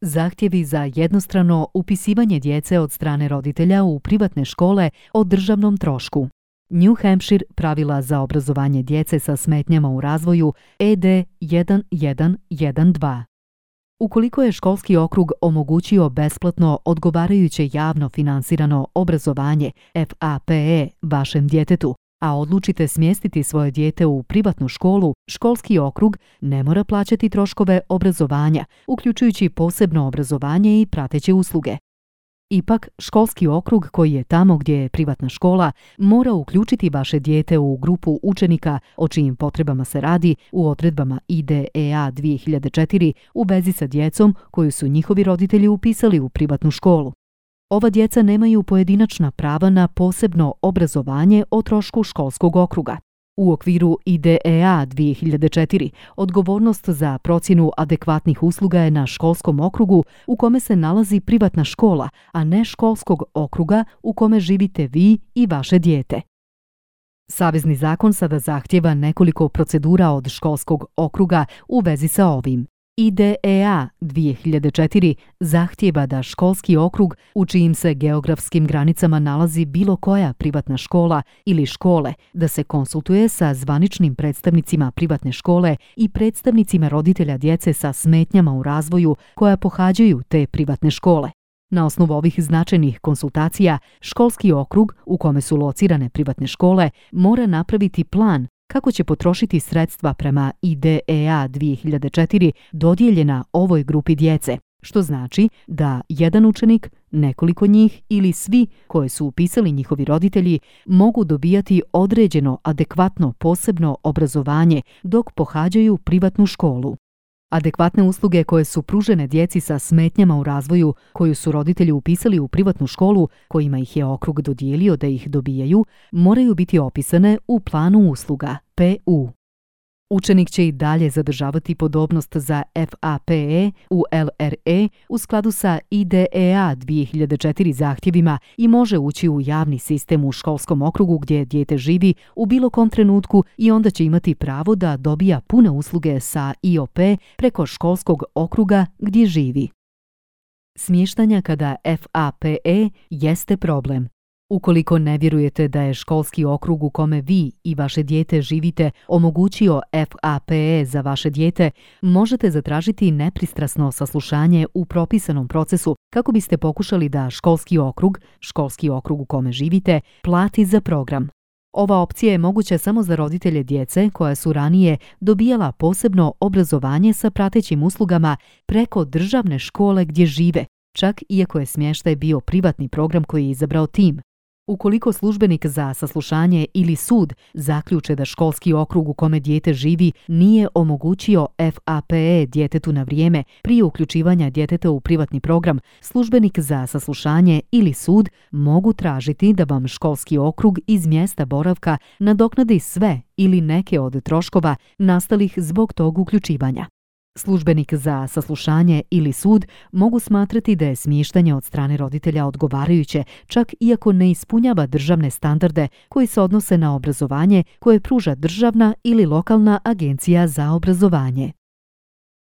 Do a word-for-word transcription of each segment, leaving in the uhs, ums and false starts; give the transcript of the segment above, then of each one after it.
Zahtjevi za jednostrano upisivanje djece od strane roditelja u privatne škole o državnom trošku. New Hampshire pravila za obrazovanje djece sa smetnjama u razvoju E D jedan jedan jedan dva. Ukoliko je školski okrug omogućio besplatno odgovarajuće javno finansirano obrazovanje F A P E vašem djetetu, a odlučite smjestiti svoje dijete u privatnu školu, školski okrug ne mora plaćati troškove obrazovanja, uključujući posebno obrazovanje i prateće usluge. Ipak, školski okrug koji je tamo gdje je privatna škola mora uključiti vaše dijete u grupu učenika o čijim potrebama se radi u odredbama I D E A dvije hiljade četiri u vezi sa djecom koju su njihovi roditelji upisali u privatnu školu. Ova djeca nemaju pojedinačna prava na posebno obrazovanje o trošku školskog okruga. U okviru I D E A dvije hiljade četiri odgovornost za procjenu adekvatnih usluga je na školskom okrugu u kome se nalazi privatna škola, a ne školskog okruga u kome živite vi i vaše dijete. Savezni zakon sada zahtjeva nekoliko procedura od školskog okruga u vezi sa ovim. I D E A dvije hiljade četiri zahtjeva da školski okrug u čijim se geografskim granicama nalazi bilo koja privatna škola ili škole da se konsultuje sa zvaničnim predstavnicima privatne škole i predstavnicima roditelja djece sa smetnjama u razvoju koja pohađaju te privatne škole. Na osnovu ovih značajnih konsultacija, školski okrug u kome su locirane privatne škole mora napraviti plan kako će potrošiti sredstva prema I D E A dvije hiljade četiri dodijeljena ovoj grupi djece, što znači da jedan učenik, nekoliko njih ili svi koje su upisali njihovi roditelji mogu dobijati određeno adekvatno posebno obrazovanje dok pohađaju privatnu školu. Adekvatne usluge koje su pružene djeci sa smetnjama u razvoju koju su roditelji upisali u privatnu školu kojima ih je okrug dodijelio da ih dobijaju, moraju biti opisane u planu usluga P U. Učenik će i dalje zadržavati podobnost za F A P E u L R E u skladu sa I D E A dvije hiljade četiri zahtjevima i može ući u javni sistem u školskom okrugu gdje dijete živi u bilo kom trenutku i onda će imati pravo da dobija pune usluge sa I O P preko školskog okruga gdje živi. Smještanja kada F A P E jeste problem. Ukoliko ne vjerujete da je školski okrug u kome vi i vaše dijete živite omogućio F A P E za vaše dijete, možete zatražiti nepristrasno saslušanje u propisanom procesu kako biste pokušali da školski okrug, školski okrug u kome živite, plati za program. Ova opcija je moguća samo za roditelje djece koja su ranije dobijala posebno obrazovanje sa pratećim uslugama preko državne škole gdje žive, čak iako je smještaj bio privatni program koji je izabrao tim. Ukoliko službenik za saslušanje ili sud zaključe da školski okrug u kome dijete živi nije omogućio F A P E djetetu na vrijeme prije uključivanja djeteta u privatni program, službenik za saslušanje ili sud mogu tražiti da vam školski okrug iz mjesta boravka nadoknadi sve ili neke od troškova nastalih zbog tog uključivanja. Službenik za saslušanje ili sud mogu smatrati da je smještanje od strane roditelja odgovarajuće, čak iako ne ispunjava državne standarde koji se odnose na obrazovanje koje pruža državna ili lokalna agencija za obrazovanje.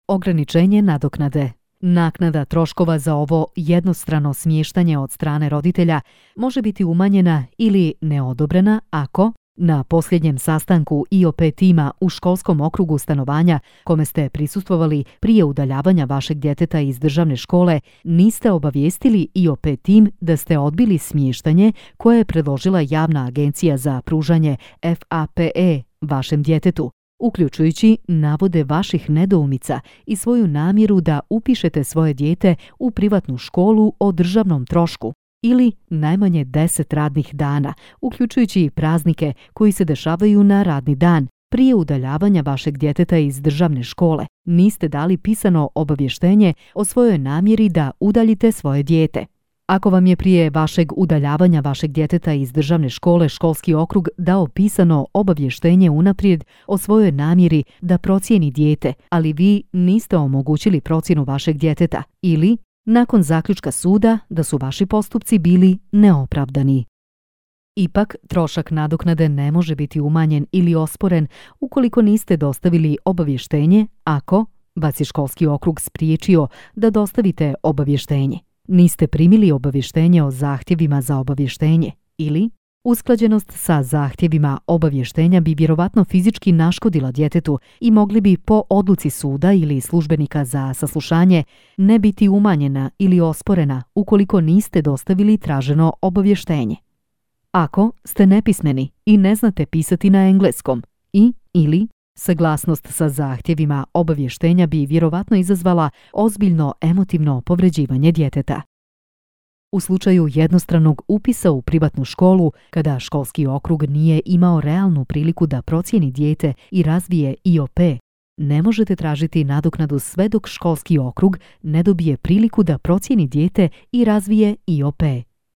Ograničenje nadoknade. Naknada troškova za ovo jednostrano smještanje od strane roditelja može biti umanjena ili neodobrena ako na posljednjem sastanku I O P tima u školskom okrugu stanovanja kome ste prisustvovali prije udaljavanja vašeg djeteta iz državne škole niste obavijestili I O P tim da ste odbili smještanje koje je predložila javna agencija za pružanje F A P E vašem djetetu, uključujući navode vaših nedoumica i svoju namjeru da upišete svoje dijete u privatnu školu o državnom trošku ili najmanje deset radnih dana, uključujući i praznike koji se dešavaju na radni dan. Prije udaljavanja vašeg djeteta iz državne škole niste dali pisano obavještenje o svojoj namjeri da udaljite svoje dijete. Ako vam je prije vašeg udaljavanja vašeg djeteta iz državne škole školski okrug dao pisano obavještenje unaprijed o svojoj namjeri da procijeni dijete, ali vi niste omogućili procjenu vašeg djeteta ili nakon zaključka suda da su vaši postupci bili neopravdani. Ipak, trošak nadoknade ne može biti umanjen ili osporen ukoliko niste dostavili obavještenje ako Vas je školski okrug spriječio da dostavite obavještenje. Niste primili obavještenje o zahtjevima za obavještenje ili usklađenost sa zahtjevima obavještenja bi vjerovatno fizički naškodila djetetu i mogli bi po odluci suda ili službenika za saslušanje ne biti umanjena ili osporena ukoliko niste dostavili traženo obavještenje. Ako ste nepismeni i ne znate pisati na engleskom i ili saglasnost sa zahtjevima obavještenja bi vjerovatno izazvala ozbiljno emotivno povređivanje djeteta. U slučaju jednostranog upisa u privatnu školu, kada školski okrug nije imao realnu priliku da procijeni dijete i razvije I O P, ne možete tražiti nadoknadu sve dok školski okrug ne dobije priliku da procijeni dijete i razvije I O P.